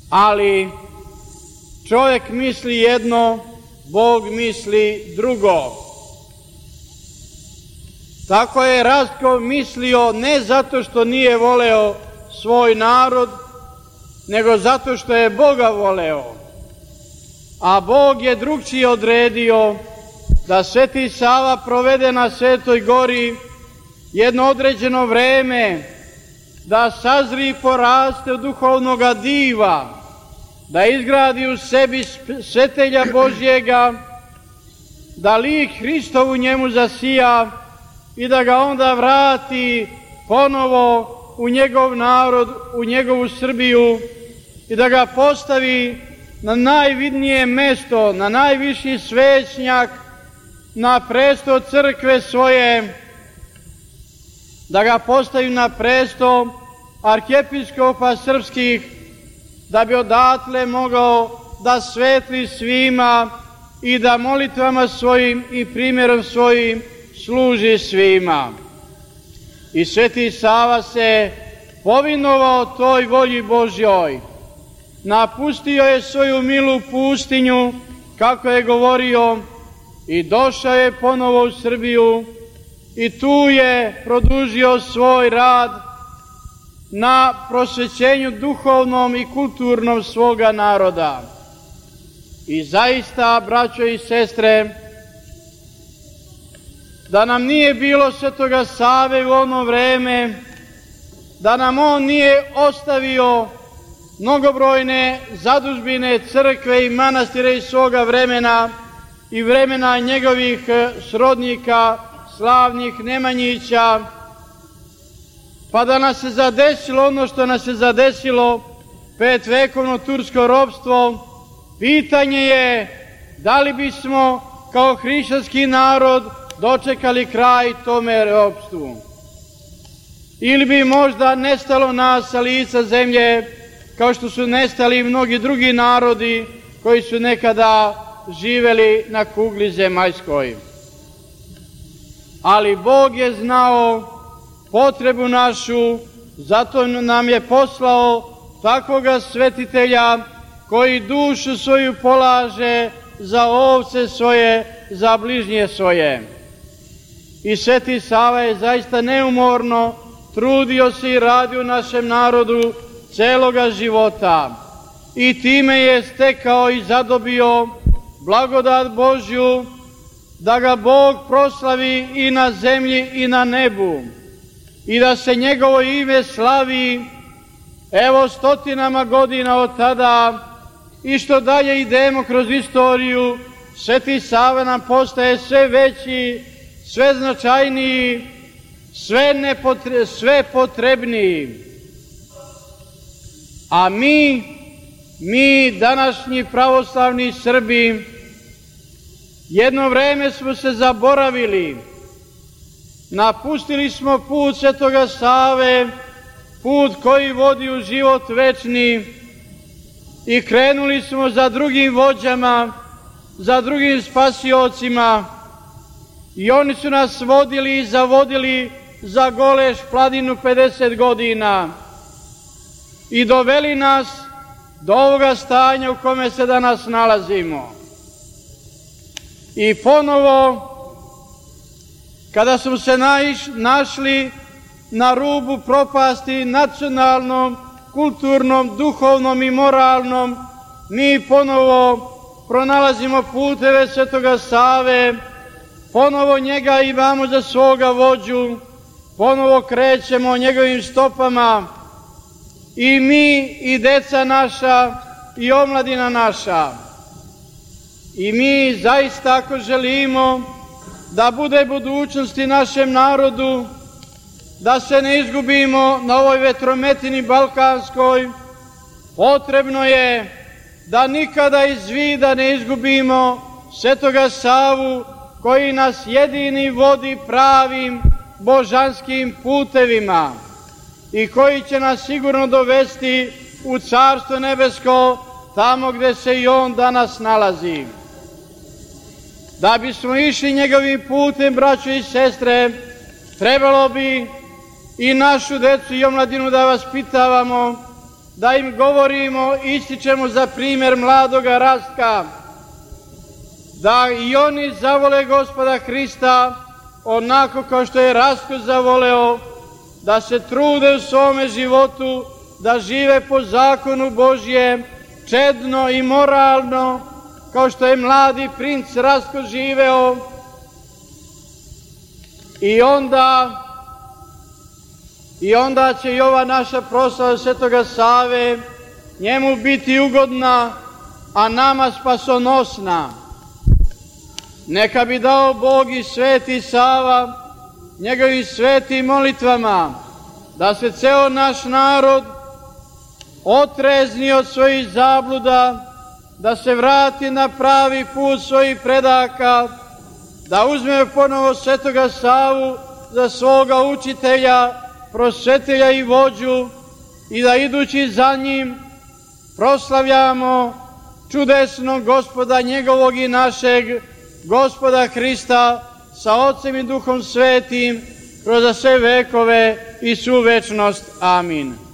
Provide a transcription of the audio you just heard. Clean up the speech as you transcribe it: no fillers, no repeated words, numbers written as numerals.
ali čovjek misli jedno, Bog misli drugo. Tako je Rastko mislio ne zato što nije voleo svoj narod, nego zato što je Boga voleo. A Bog je drugčije odredio da Sveti Sava provede na Svetoj gori jedno određeno vreme, da sazri i poraste od duhovnoga diva, da izgradi u sebi svetelja Božjega, da lik Hristov u njemu zasija i da ga onda vrati ponovo u njegov narod, u njegovu Srbiju i da ga postavi na najvidnije mesto, na najviši svećnjak, na presto crkve svoje, da ga postavi na presto arhijepiskopa srpskih, da bi odatle mogao da svetli svima i da molitvama svojim i primjerom svojim služi svima. I Sveti Sava se povinovao toj volji Božjoj. Napustio je svoju milu pustinju, kako je govorio, i došao je ponovo u Srbiju i tu je produžio svoj rad na prosvećenju duhovnom i kulturnom svoga naroda. I zaista, braćo i sestre, da nam nije bilo Svetoga Save u ono vreme, da nam on nije ostavio mnogobrojne zadužbine, crkve i manastire iz svoga vremena i vremena njegovih srodnika, slavnih Nemanjića, pa da nas se zadesilo ono što nas se zadesilo, 5-vekovno tursko ropstvo, pitanje je da li bismo kao hrišćanski narod dočekali kraj tome ropstvu. Ili bi možda nestalo nas sa lica zemlje, kao što su nestali mnogi drugi narodi koji su nekada živeli na kugli zemaljskoj. Ali Bog je znao potrebu našu, zato nam je poslao takvoga svetitelja koji dušu svoju polaže za ovce svoje, za bližnje svoje. I Sveti Sava je zaista neumorno trudio se i radio u našem narodu celoga života i time je stekao i zadobio blagodat Božju da ga Bog proslavi i na zemlji i na nebu i da se njegovo ime slavi evo stotinama godina od tada i što dalje idemo kroz istoriju, Sveti Sava nam postaje sve veći, sve značajniji, sve potrebniji. A mi današnji pravoslavni Srbi, jedno vreme smo se zaboravili, napustili smo put Svetoga Save, put koji vodi u život večni i krenuli smo za drugim vođama, za drugim spasiocima i oni su nas vodili i zavodili za Goleš planinu 50 godina i doveli nas do ovoga stanja u kome se danas nalazimo. I ponovo, kada smo se našli na rubu propasti nacionalnom, kulturnom, duhovnom i moralnom, mi ponovo pronalazimo puteve Svetoga Save, ponovo njega imamo za svoga vođu, ponovo krećemo njegovim stopama i mi i deca naša i omladina naša. I mi zaista ako želimo da bude budućnosti našem narodu, da se ne izgubimo na ovoj vetrometini balkanskoj, potrebno je da nikada iz vida ne izgubimo Svetoga Savu koji nas jedini vodi pravim božanskim putevima i koji će nas sigurno dovesti u Carstvo nebesko, tamo gde se i on danas nalazi. Da bismo išli njegovim putem, braćo i sestre, trebalo bi i našu decu i omladinu da vaspitavamo da im govorimo, ističemo za primjer mladoga Rastka, da i oni zavole Gospoda Hrista onako kao što je Rastko zavoleo, da se trude u svome životu, da žive po zakonu Božjem, čedno i moralno, kao što je mladi princ Rastko živeo. I onda će i ova naša proslava Svetoga Save njemu biti ugodna, a nama spasonosna. Neka bi dao Bog i Sveti Sava njegovim svetim molitvama, da se ceo naš narod otrezni od svojih zabluda, da se vrati na pravi put svojih predaka, da uzme ponovo Svetoga Savu za svoga učitelja, prosvetelja i vođu, i da idući za njim proslavljamo čudesnog Gospoda njegovog i našeg Gospoda Hrista sa Otcem i Duhom Svetim kroz sve vekove i svu večnost. Amin.